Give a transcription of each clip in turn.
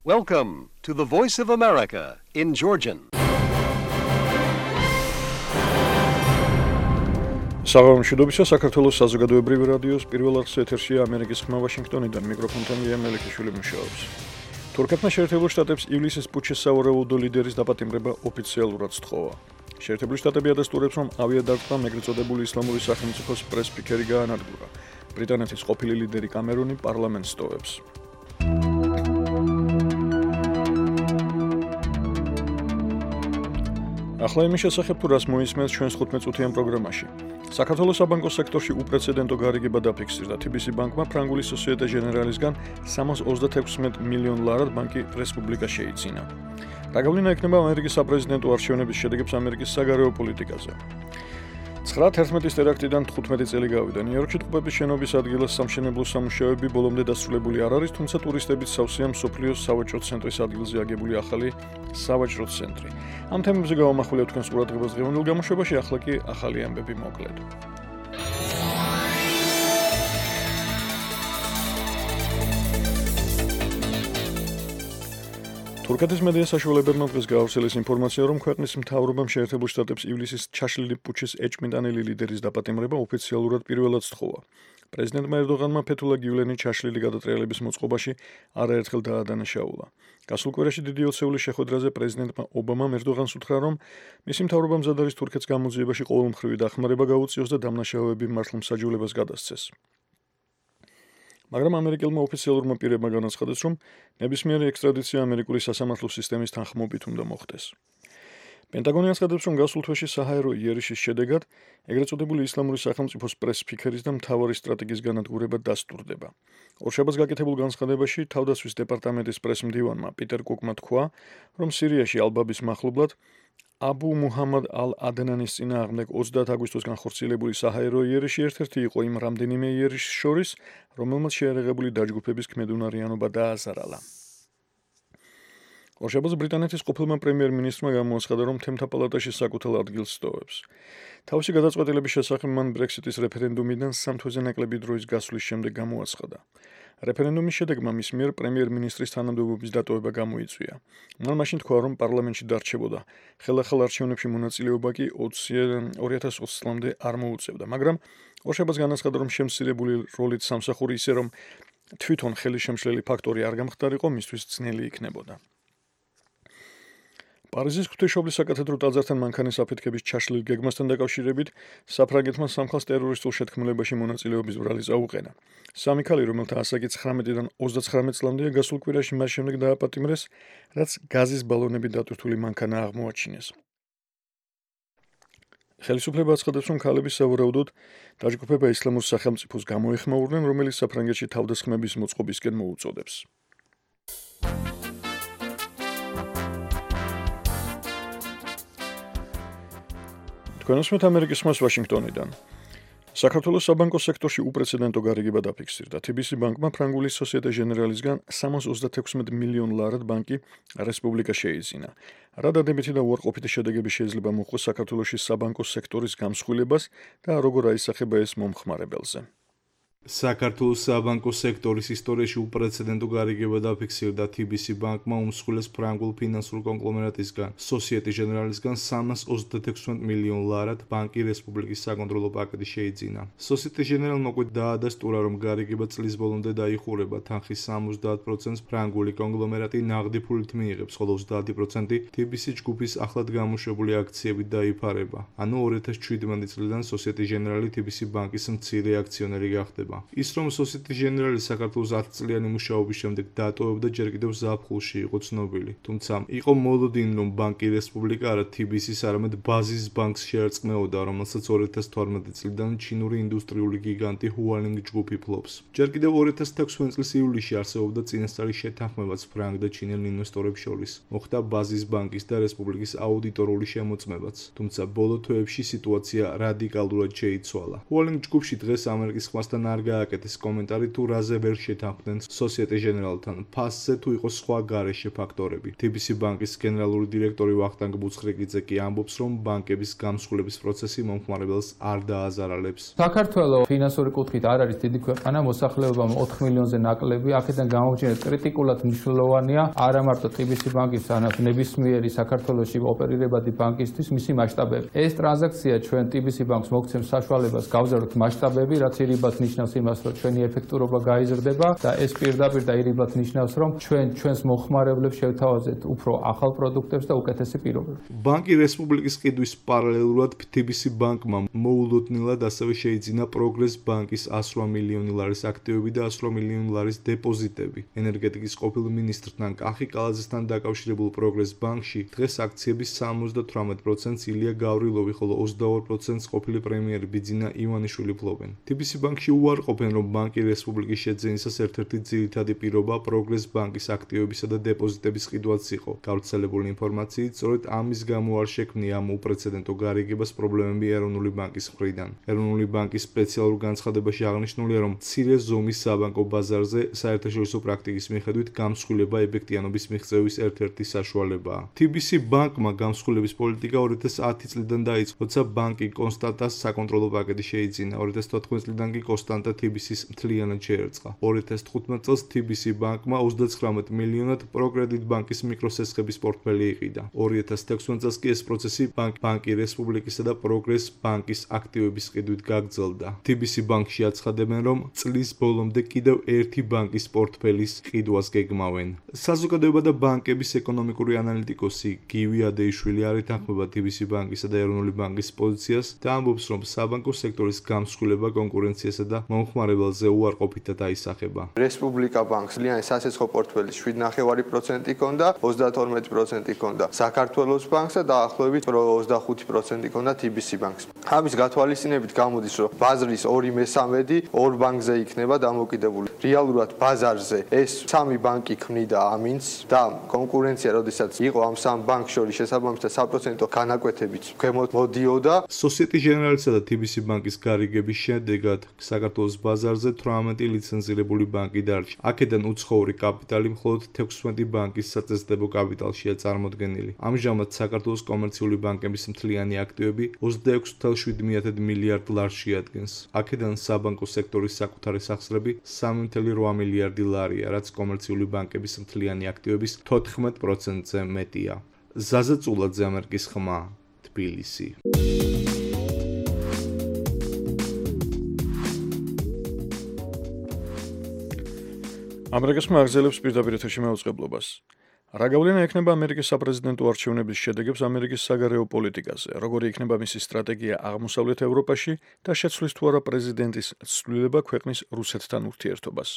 Welcome to the Voice of America in Georgian. საღამოშიდობისა საქართველოს საზოგადოებრივი რადიოს პირველ არხის ეთერშია ამერიკის ხმა ვაშინგტონიდან მიკროფონთან ლია მელიქიშვილი მუშაობს. თურქეთმა შეერთებულ შტატებს ივლისის პუტჩის სავარაუდო ლიდერის დაპატიმრება ოფიციალურად სთხოვა. შეერთებული შტატები ადასტურებს, რომ ავიადარტყმამ ეგრეთ წოდებული ისლამური სახელმწიფოს პრეს-სპიკერი გაანადგურა. ბრიტანეთის ყოფილი ლიდერი კამერონი პარლამენტს ტოვებს. ახლა იმის შესახებ, თუ რას მოისმენთ ჩვენს 15-წუთიან პროგრამაში. საქართველოს საბანკო სექტორში უპრეცედენტო გარიგება დაფიქსირდა. TBC ბანკმა ფრანგული სოსიეტე ჟენერალისგან 336 მილიონ ლარად ბანკი რესპუბლიკა შეიძინა. რა გავლენა ექნება ამერიკის საპრეზიდენტო არჩევნების შედეგებს ამერიკის საგარეო პოლიტიკაზე? 9/11-ის ტერაქტიდან 15 წელი გავიდა. ნიუ-იორკში ტყუპების შენობის ადგილას სამშენებლო სამუშაოები ბოლომდე დასრულებული არ არის, თუმცა ტურისტებით სავსეა მსოფლიოს სავაჭრო ცენტრის ადგილზე აგებული ახალი სავაჭრო ცენტრი. ამ თემებზე გავამახვილებთ თქვენს ყურადღებას დღევანდელ გამოშვებაში, ახლა კი ახალი ამბები მოკლედ. თურქეთის მედია საშუალებებმა დღეს გაავრცელეს ინფორმაცია, რომ ქვეყნის მთავრობამ შეერთებულ შტატებს ივლისის ჩაშლილი პუტჩის ეჭვმიტანილი ლიდერის დაპატიმრება ოფიციალურად პირველად სთხოვა. პრეზიდენტმა ერდოღანმა ფეთულა გივლენი ჩაშლილი გადატრიალების მოწყობაში არაერთხელ დაადანაშაულა. გასულ კვირაში დიდი ოცეულის შეხვედრაზე პრეზიდენტმა ობამამ ერდოღანს უთხრა, რომ მისი მთავრობა მზად არის თურქეთს გამოძიებაში ყოველმხრივი დახმარება გაუწიოს და დამნაშავეები მართლმსაჯულებას გადასცეს. მაგრამ ამერიკელმა ოფიციალურმა პირებმა განაცხადეს, რომ ნებისმიერი ექსტრადიცია ამერიკული სასამართლო სისტემის თანხმობით უნდა მოხდეს. პენტაგონი აცხადებს, რომ გასულ თვეში საჰაერო იერიშის შედეგად ეგრეთ წოდებული ისლამური სახელმწიფოს პრეს-სპიკერის და მთავარი სტრატეგის განადგურება დასტურდება. ორშაბათს გაკეთებულ განცხადებაში თავდაცვის დეპარტამენტის პრეს-მდივანმა პიტერ კუკმა თქვა, რომ სირიაში ალბაბის მახლობლად აბუ მუჰამად ალ-ადნანის წინააღმდეგ 30 აგვისტოს განხორციელებული საჰაერო იერიში ერთ-ერთი იყო იმ რამდენიმე იერიშის შორის, რომელმაც შეერაღებული დაჯგუფების ქმედუნარიანობა დააზარალა. ორშაბათს ბრიტანეთის ყოფილმა პრემიერ-მინისტრმა გამოაცხადა, რომ თემთა პალატაში საკუთარ ადგილს სტოვებს. თავისი გადაწყვეტილების შესახებ მან ბრექსიტის რეფერენდუმიდან 3 თვეზე ნაკლები დროის გასვლის შემდეგ გამოაცხადა. რეფერენდუმის შედეგმა მის მიერ პრემიერ-მინისტრის თანამდებობის დატოვება გამოიწვია. მან მაშინ თქვა, რომ პარლამენტში დარჩებოდა. ხელახალ არჩევნებში მონაწილეობა კი 2020 წლამდე არ მოუწევდა, მაგრამ ორშაბათს განაცხადა, რომ შემცირებული როლით სამსახური ისე რომ თვითონ ხელის შემშლელი ფაქტორი არ გამხდარიყო, მისთვის ძნელი იქნებოდა. პარიზის ღვთისმშობლის საკათედრო ტაძართან მანქანის აფეთქების ჩაშლილ გეგმასთან დაკავშირებით საფრანგეთმა სამხას ტერორისტულ შეთქმულებაში მონაწილეობის ბრალი წაუყენა. სამი ქალი, რომელთა ასაკი 19-დან 39 წლამდეა, გასულ კვირაში მას შემდეგ დააპატიმრეს, რაც გაზის ბალონებით დატვირთული მანქანა აღმოაჩინეს. ხელისუფლება აცხადებს, რომ ქალები სავარაუდოდ დაჯგუფება ისლამურ სახელმწიფოს გამოეხმაურნენ, რომელიც საფრანგეთში თავდასხმების მოწყობისკენ მოუწოდებს. თქვენოსმეთ ამერიკის ხმას ვაშინგტონიდან. საქართველოს საბანკო სექტორში უპრეცედენტო გარიგება დაფიქსირდა. TBC ბანკმა ფრანგული სოსიეტე ჟენერალისგან 336 მილიონ ლარად ბანკი რესპუბლიკა შეიძინა. რა დადებითი და უარყოფითი შედეგები შეიძლება მოხდეს საქართველოში საბანკო სექტორის გამსხვილებას და როგორ აისახება ეს მომხმარებელზე. საქართველოს საბანკო სექტორის ისტორიაში უპრეცედენტო გარიგება დაფიქსირდა. TBC ბანკმა უმსხვილეს ფრანგულ ფინანსურ კონგლომერატისგან, სოსიეტე ჟენერალისგან 336 მილიონ ლარად ბანკი რესპუბლიკის საკონტროლო პაკეტი შეიძინა. სოსიეტე ჟენერალმა უკვე დაადასტურა, რომ გარიგება წლის ბოლომდე დაიხურება. თანხის 70%-ს ფრანგული კონგლომერატი ნაღდი ფულით მიიღებს, ხოლო 30% TBC ჯგუფის ახლად გამოშვებული აქციებით დაიფარება. ანუ 2017 წლიდან სოსიეტე ჟენერალი TBC ბანკის მცირე აქციონერი გახდება. ის რომ სოსიეტე ჟენერალი საქართველოს 10 წლიანი მუშაობის შემდეგ დატოვებდა, ჯერ კიდევ ზაფხულში იყო ცნობილი. თუმცა იყო მოლოდინი, რომ ბანკი რესპუბლიკა არა TBC-ს, არამედ ბაზის ბანკს შეერწყმეოდა, რომელსაც 2012 წლიდან ჩინური ინდუსტრიული გიგანტი Hualing ჯგუფი ფლობს. ჯერ კიდევ 2016 წლის ივლისში არსებობდა წინასწარი შეთანხმებაც ფრანგ და ჩინელ ინვესტორებს შორის. მოხდა ბაზის ბანკის და რესპუბლიკის აუდიტორული შემოწმებაც. თუმცა ბოლო თვეებში სიტუაცია რადიკალურად შეიცვალა. Hualing ჯგუფში დღეს ამერიკის ხმასთან არ გააკეთეს კომენტარი თუ რაზე ვერ შეთანხმდნენ Societe Generale-თან, ფასზე თუ იყოს სხვა გარეშე ფაქტორები. TBC ბანკის გენერალური დირექტორი ვახტანგ ბუცხრეკიძე კი ამბობს, რომ ბანკების გამსხვილების პროცესი მომხმარებელს არ დააზარალებს. საქართველოს ფინანსური კუთხით არ არის დიდი ქვეყანა, მოსახლეობამ 4 მილიონზე ნაკლები, აქედან გამომჩენილი კრიტიკულად მნიშვნელოვანია არა მარტო TBC ბანკის, არამედ ნებისმიერი საქართველოში ოპერირებადი ბანკისთვის მისი მასშტაბები. ეს ტრანზაქცია ჩვენ TBC ბანკს მოგცემს საშუალებას გავზარდოთ მასშტაბები, რაც ირიბად ნიშნავს იმას, რომ ჩვენი ეფექტურობა გაიზრდება და ეს პირდაპირ და ირიბად ნიშნავს, რომ ჩვენს მოხმარებლებს შევთავაზეთ უფრო ახალ პროდუქტებს და უკეთესი პირობები. ბანკი რესპუბლიკის ყიდვის პარალელურად TBC ბანკმა მოულოდნელად ასევე შეიძინა Progress ბანკის 108 მილიონი ლარის აქტივები და 108 მილიონი ლარის დეპოზიტები. ენერგეტიკის ყოფილ მინისტრთან კახი კალაძესთან დაკავშირებულ Progress ბანკში დღეს აქციების 78%-ს ილია გავრილოვი, ხოლო 22%-ს ყოფილი პრემიერი ბიძინა ივანიშვილი ფლობენ. TBC ბანკში უარყოფენ, რომ ბანკი რესპუბლიკის შეძენისას ერთ-ერთი ძირითადი პირობა Progress ბანკის აქტივებისა და დეპოზიტების ყიდვაც იყო. გავრცელებული ინფორმაციით, სწორედ ამის გამო არ შექმნია ამ უპრეცედენტო გარიგებას პრობლემები ეროვნული ბანკის მხრიდან. ეროვნული ბანკის სპეციალურ განცხადებაში აღნიშნულია, რომ მცირე ზომის საბანკო ბაზარზე საერთაშორისო პრაქტიკის მიხედვით გამსხვილება ეფექტიანობის მიღწევის ერთ-ერთი საშუალებაა. TBC ბანკმა გამსხვილების პოლიტიკა 2010 წლიდან დაიწყო, როცა ბანკი კონსტანტას საკონტროლო პაკეტი შეიძინა. 2014 წლიდან კი კონსტანტა TBC-ს მთლიანად შეერწყა. 2015 წელს TBC ბანკმა 39 მილიონად პროკრედიტ ბანკის მიკროსესხების პორტფელი იყიდა. 2016 წელს კი ეს პროცესი ბანკი რესპუბლიკისა და Progress ბანკის აქტივების ყიდვით გაგრძელდა. TBC ბანკში აცხადებენ, რომ წლის ბოლომდე კიდევ ერთი ბანკის პორტფელის ყიდვას გეგმავენ. საზოგადოება და ბანკების ეკონომიკური ანალიტიკოსი გივი ადეიშვილი არ ეთანხმება TBC ბანკისა და ეროვნული ბანკის პოზიციას და ამბობს, რომ საბანკო სექტორის გამსხვილება კონკურენციასა და მომხმარებელზე უარყოფითად აისახება. რესპუბლიკა ბანკს ლიანი სასესხო პორტფელი 7.5% ჰქონდა, 32% ჰქონდა საქართველოს ბანკს და დაახლოებით 25% ჰქონდა TBC ბანკს. ამის გათვალისწინებით გამოდის, რომ ბაზრის 2/3 ორ ბანკზე იქნება დამოკიდებული. რეალურად ბაზარზე ეს სამი ბანკი ქმნიდა ამინს და კონკურენცია, როდესაც იყო ამ სამ ბანკს შორის შესაბამისად საპროცენტო განაკვეთებით მოდიოდა. Societe Generale-სა და TBC ბანკის გარიგების შედეგად საქართველოს ბაზარზე 18 ლიცენზირებული ბანკი დარჩა. აქედან უცხოური კაპიტალი მხოლოდ 16 ბანკის საწესდებო კაპიტალშია წარმოდგენილი. ამჟამად საქართველოს კომერციული ბანკების მთლიანი აქტივები 26.7 მილიარდ ლარს შეადგენს. აქედან საბანკო სექტორის საკუთარი სახსრები 3.8 მილიარდი ლარია, რაც კომერციული ბანკების მთლიანი აქტივების 14%-ზე მეტია. ზაზა წულაძე, ამერიკის ხმა, თბილისი. ამერიკის ხმა აგრძელებს პირდაპირ ეთერში მეუწყებლობას. რა გავლენა ექნება ამერიკის საპრეზიდენტო არჩევნების შედეგებს ამერიკის საგარეო პოლიტიკაზე, როგორი იქნება მისი სტრატეგია აღმოსავლეთ ევროპაში და შეცვლის თუ არა პრეზიდენტის ცვლილება ქვეყნის რუსეთთან ურთიერთობას.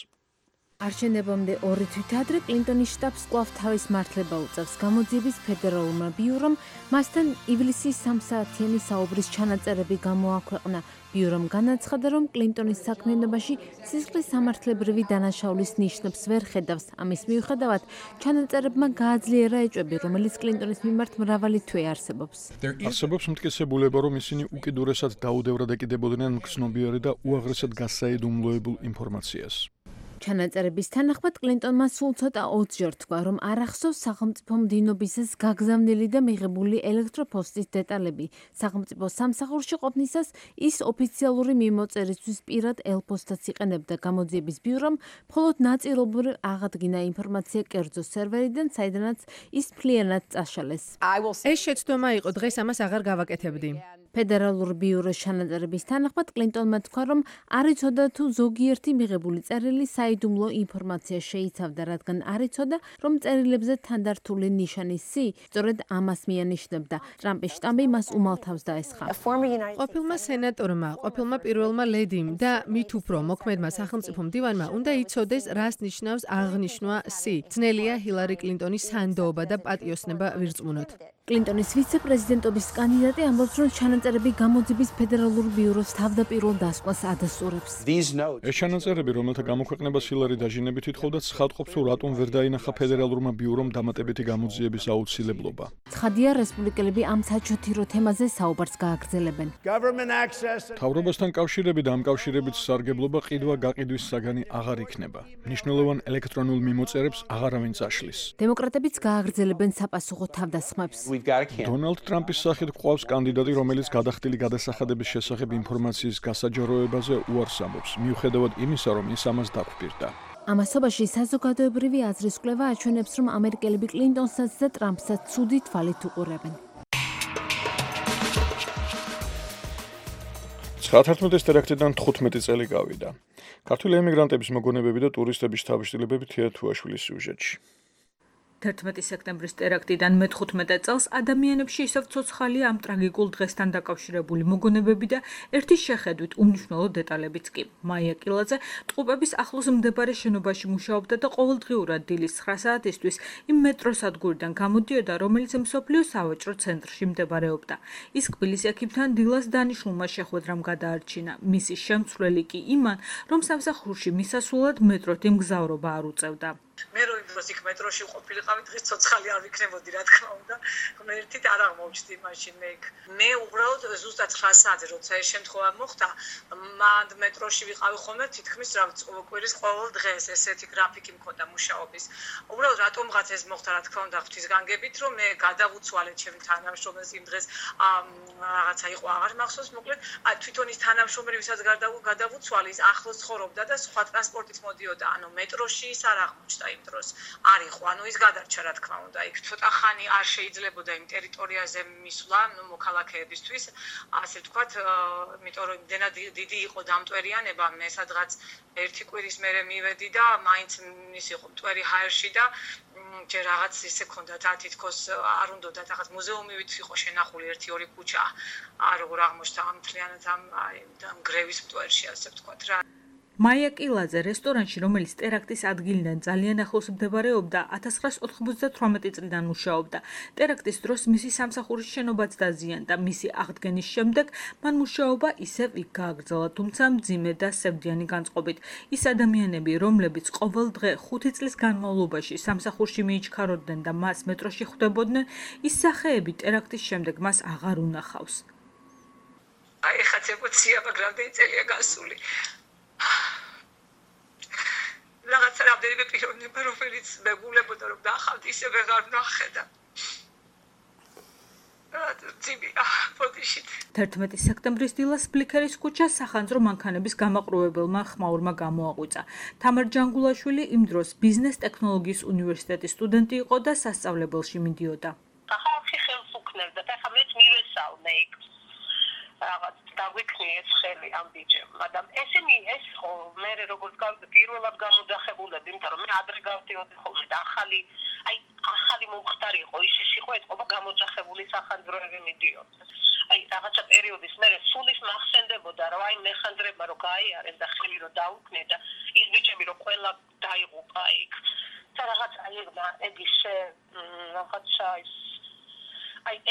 არჩევნებამდე 2 თვით ადრე კლინტონის შტაბს კვლავ თავის მართლება უწევს გამოძიების ფედერალურმა ბიურომ, მასთან ივლისის 3 საათიანი საუბრის ჩანაწერები გამოაქვეყნა. ბიურომ განაცხადა, რომ კლინტონის საქმიანობაში სისხლის სამართლებრივი დანაშაულის ნიშნებს ვერ ხედავს. ამის მიუხედავად, ჩანაწერებმა გააძლიერა ეჭვები, რომელიც კლინტონის მიმართ მრავალი თვე არსებობს. არსებობს მტკიცებულება, რომ ისინი უკიდურესად დაუდევრად ეკიდებოდნენ მგრძნობიარე და უაღრესად გასაიდუმლოებულ ინფორმაციას. ჩანაწერების თანახმად კლინტონმა სულ ცოტა 20-ჯერ თქვა, რომ არ ახსოვს სახელმწიფო მდინობისას გაგზავნილი და მიღებული ელექტროპოსტის დეტალები. სახელმწიფო სამსახურში ყოფნისას ის ოფიციალური მიმოწერისთვის პირად ელპოსტაც იყენებდა. გამოძიების ბიურომ მხოლოდ ნაწილობრივ აღადგინა ინფორმაცია კერძო სერვერიდან, საიდანაც ის მთლიანად წაშალეს. ეს შეცდომა იყო, დღეს ამას აღარ გავაკეთებდი. ფედერალურ ბიუროს ჩანაწერების თანახმად კლინტონმა თქვა, რომ არ იცოდა თუ ზოგიერთი მიღებული წერილი საიდუმლო ინფორმაცია შეიცავდა, რადგან არ იცოდა, რომ წერილებზე თანდართული ნიშანი C სწორედ ამას მიანიშნებდა. ტრამპის შტაბი მას უმალთავს დაესხა. ყოფილმა სენატორმა, ყოფილმა პირველმა ლედიმ და მით უფრო მოქმედმა სახელმწიფო მდივანმა უნდა იცოდეს, რას ნიშნავს აღნიშვნა C. ძნელია ჰილარი კლინტონის სანდოობა და პატიოსნება ვირწმუნოთ. კლინტონის ვიცე-პრეზიდენტობის კანდიდატი ამბობს, რომ ჩანაწერები გამოძიების ფედერალურ ბიუროს თავდაპირველ დასკვნას ადასტურებს. ეს ჩანაწერები, რომელთა გამოქვეყნებას ჰილარი დაჟინებით ითხოვდა, ცხადყოფს, რომ რატომ ვერ დაინახა ფედერალურმა ბიურომ დამატებითი გამოძიების აუცილებლობა. ცხადია, რესპუბლიკელები ამ საჩოთირო თემაზე საუბარს გააგრძელებენ. მთავრობასთან კავშირები და ამ კავშირებით სარგებლობა ყიდვა-გაყიდვის საგანი აღარ იქნება. მნიშვნელოვან ელექტრონულ მიმოწერებს აღარავინ წაშლის. დემოკრატებიც გააგრძელებენ საპასუხო თავდასხმებს. დონალდ ტრამპის სახით გვყავს კანდიდატი, რომელიც გადახდილი გადასახადების შესახებ ინფორმაციის გასაჯაროებაზე უარს ამბობს, მიუხედავად იმისა, რომ ის ამას დაგვპირდა. ამასობაში საზოგადოებრივი აზრის კვლევა აჩვენებს, რომ ამერიკელები კლინტონსაც და ტრამპსაც ცუდი თვალით უყურებენ. 1911 ტერაქტიდან 15 წელი გავიდა. ქართული ემიგრანტების მოგონებები და ტურისტების თავშეშლილებები თეათუაშვილის სიუჟეტში. 11 სექტემბრის ტერაქტიდან მე-15 წელს ადამიანებში ისევ ცოცხალია ამ ტრაგიკულ დღესთან დაკავშირებული მოგონებები და ერთი შეხედვით უმნიშვნელო დეტალებიც კი. მაია კილაძე ტყუპების ახლოს მდებარე შენობაში მუშაობდა და ყოველდღიურად დილის 9 საათისთვის იმ მეტროსადგურიდან გამოდიოდა, რომელიც მსოფლიოს სავაჭრო ცენტრში მდებარეობდა. ის კბილის ექიმთან დილას დანიშნულმა შეხვედრამ გადაარჩინა. მისი შემცვლელი კი იმან, რომ სამსახურში მისასვლელად მეტროთი მგზავრობა არ უწევდა. მე რო იმ დროს იქ მეტროში ყოფილიყავი, დღეს ცოცხალი არ ვიქნებოდი, რა თქმა უნდა. ღმერთით არ აღმოჩნდი მაშინ მე უბრალოდ ზუსტად 9 საათზე როცა ეს შემთხვევა მოხდა, მანდ მეტროში ვიყავი ხოლმე თითქმის რა კვირის ყოველ დღეს ესეთი გრაფიკი მქონდა მუშაობის. უბრალოდ რატომღაც ეს მოხდა, რა თქმა უნდა, ღვთისგანგებით, რომ მე გადავუცვალე ჩემი თანამშრომელს იმ დღეს რაღაცა იყო აღარ მახსოვს, მოკლედ თვითონ ის თანამშრომელი, ვისაც გადავუცვალე, ის ახლოს ცხოვრობდა და სხვა ტრანსპორტით მოდიოდა, ანუ მეტროში ის არ აღმოჩნდა იმ დროს. არ იყო, ანუ ის გადარჩა, რა თქმა უნდა. იქ ცოტა ხანი არ შეიძლებოდა იმ ტერიტორიაზე მისვლა, მოქალაქეებისთვის, ასე ვთქვათ, იმიტომ რომ იმდენად დიდი იყო დამტვერიანება, მე სადღაც ერთი კვირის მერე მივედი და მაინც ის იყო მტვერი ჰაერში და ჯერ რაღაც ისე ქონდათ თითქოს არ უნდათ რაღაც მუზეუმივით იყო შენახული 1-2 ქუჩა. როგორ აღმოჩნდა ამ მთლიანად ამ გრევის მტვერში, ასე ვთქვათ რა. მაია კილაძე რესტორანში, რომელიც ტერაქტის ადგილიდან ძალიან ახლოს მდებარეობდა, 1998 წლიდან მუშაობდა. ტერაქტის დროს მისი სამსახურის შენობაც დაზიანდა. მისი აღდგენის შემდეგ მან მუშაობა ისევ იქ გააგრძელა, თუმცა მძიმე და სევდიანი განწყობით. ის ადამიანები, რომლებიც ყოველ დღე 5 წლის განმავლობაში სამსახურში მიიჩქაროდნენ და მას მეტროში ხვდებოდნენ, ის სახეები ტერაქტის შემდეგ მას აღარ უნახავს. აი ხაც ემოცია, მაგრამ წელია გასული. რაღაცა რამდენიმე პიროვნება, რომელიც მეგულებოდა, რომ ნახავთ, ისე ვეღარ ვნახე. 11 სექტემბრის დილას ბლიქერის ქუჩას სახანძრო მანქანების გამაყრუებელმა ხმაურმა გამოაღვიძა. თამარ ჯანგულაშვილი იმ დროს ბიზნეს ტექნოლოგიის უნივერსიტეტის სტუდენტი იყო და სასწავლებელში მიდიოდა. ხალხი ხელს უქნევდა და ხამეც მივესალმე იქ. რაღაც დაგვიქნიეს ხელი ამ ბიჭემ, მაგრამ ესენი ეს ხო მე როგორც პირველად გამოძახებულები, იმიტომ რომ მე ადრე გავდიოდი ხოლმე და ახალი მომხდარი იყო, ის იყო ეთყობა გამოძახებული სახანძროები მიდიოდნენ. რაღაცა პერიოდის მერე სულის მახსენდებოდა, რომ მეხანძრება რო გაიარეს და ხელი რო დაუქმნეს და ის ბიჭები რო ყველა დაიღუპა იქ. და რაღაცა ეგ ისე რაღაცა ის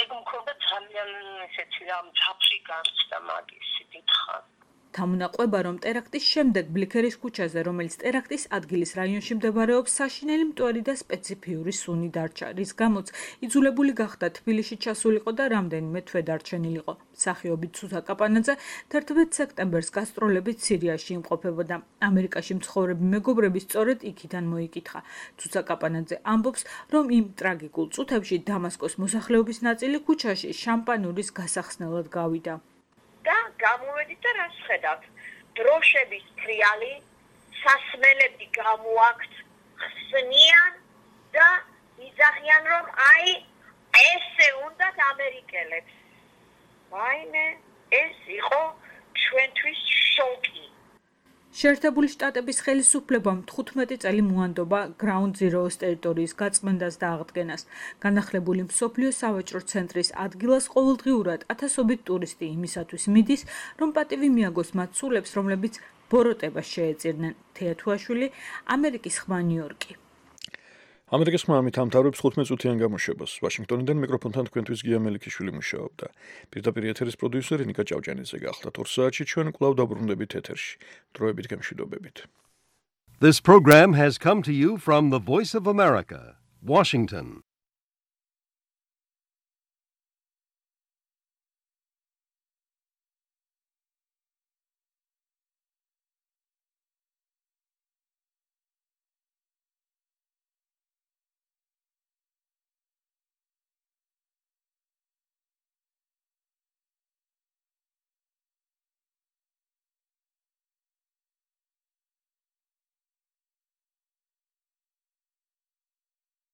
ეგ მქონდა ძალიან ესეთი ამ ჯაფრი განცდა მაგისი დიდხან. Თამუნაყვება, რომ ტერაქტის შემდეგ ბლიქერის ქუჩაზე, რომელიც ტერაქტის ადგილის რაიონში მდებარეობს, საშინელი მტვერი და სპეციფიური სუნი დარჩა, რის გამოც იძულებული გახდა თბილისში ჩასულიყო და რამდენიმე თვე დარჩენილიყო. მსახიობი ცუცა კაპანაძე 11 სექტემბერს გასტროლებით სირიაში იმყოფებოდა. ამერიკაში მცხოვრები მეგობრები სწორედ იქიდან მოიკითხა. ცუცა კაპანაძე ამბობს, რომ იმ ტრაგიკულ წუთებში დამასკოს მოსახლეობის ნაწილი ქუჩაში შამპანურის გასახსნელად გავიდა. და გამოვედით და რას ხედავთ? დროშების ფრიალი, სასმელები გამოაქვთ, ხსნიან და იძახიან, რომ ესე უნდათ ამერიკელებს. ვაიმე, ეს იყო ჩვენთვის შოკი. შეერთებული შტატების ხელისუფლებამ 15 წელი მოანდობა Ground Zero-ის ტერიტორიის გაწმენდას და აღდგენას. განახლებული მსოფლიო სავაჭრო ცენტრის ადგილას ყოველდღიურად ათასობით ტურისტი იმისათვის მიდის, რომ პატივი მიაგოს მათ სულებს, რომლებიც ბოროტებას შეეწირნენ. თეათუაშვილი, ამერიკის ხმა ნიუ-იორკი. ამერიკის ხმამით ამთავრებს 15 წუთიან გამოშვებას. ვაშინგტონიდან მიკროფონთან თქვენთვის გია მელიქიშვილი მუშაობდა. პირდაპირ ეთერის პროდიუსერი ნიკა ჭავჭანიძე გახლდათ 2 საათში ჩვენ კვლავ დაბრუნდებით ეთერში. დროებით გემშვიდობებით. This program has come to you from the Voice of America, Washington.